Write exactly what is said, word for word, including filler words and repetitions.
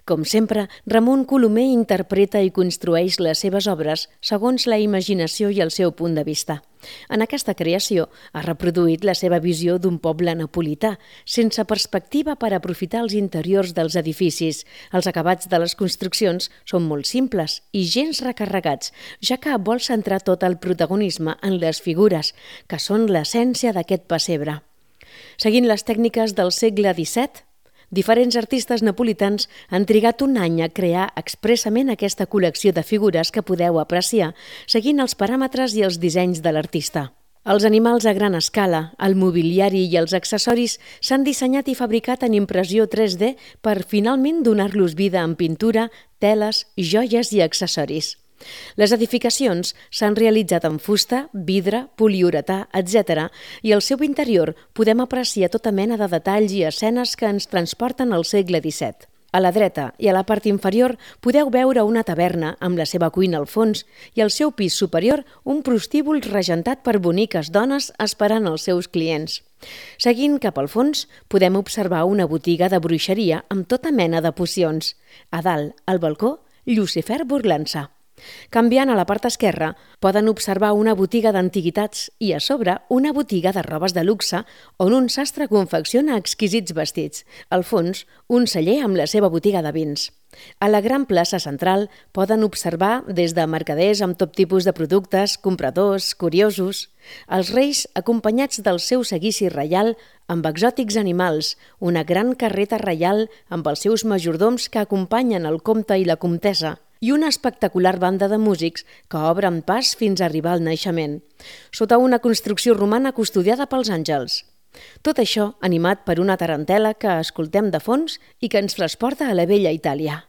Com sempre, Ramon Colomer interpreta i construeix les seves obres segons la imaginació i el seu punt de vista. En aquesta creació ha reproduït la seva visió d'un poble napolità, sense perspectiva per aprofitar els interiors dels edificis. Els acabats de les construccions són molt simples i gens recarregats, ja que vol centrar tot el protagonisme en les figures, que són l'essència d'aquest pessebre. Seguint les tècniques del segle disset, diferents artistes napolitans han trigat un any a crear expressament aquesta col·lecció de figures que podeu apreciar seguint els paràmetres i els dissenys de l'artista. Els animals a gran escala, el mobiliari i els accessoris s'han dissenyat i fabricat en impressió tres D per finalment donar-los vida en pintura, teles, joies i accessoris. Les edificacions s'han realitzat en fusta, vidre, poliuretà, etcètera, i al seu interior podem apreciar tota mena de detalls i escenes que ens transporten al segle disset. A la dreta i a la part inferior podeu veure una taverna amb la seva cuina al fons i al seu pis superior un prostíbul regentat per boniques dones esperant els seus clients. Seguint cap al fons podem observar una botiga de bruixeria amb tota mena de pocions. A dalt, al balcó, Llucifer burlant-se. Canviant a la part esquerra, poden observar una botiga d'antiguitats i a sobre una botiga de robes de luxe on un sastre confecciona exquisits vestits. Al fons, un celler amb la seva botiga de vins. A la gran plaça central poden observar des de mercaders amb tot tipus de productes, compradors, curiosos. Els reis acompanyats del seu seguici reial amb exòtics animals, una gran carreta reial amb els seus majordoms que acompanyen el comte i la comtessa, i una espectacular banda de músics que obren pas fins a arribar al naixement, sota una construcció romana custodiada pels àngels. Tot això animat per una tarantela que escoltem de fons i que ens transporta a la vella Itàlia.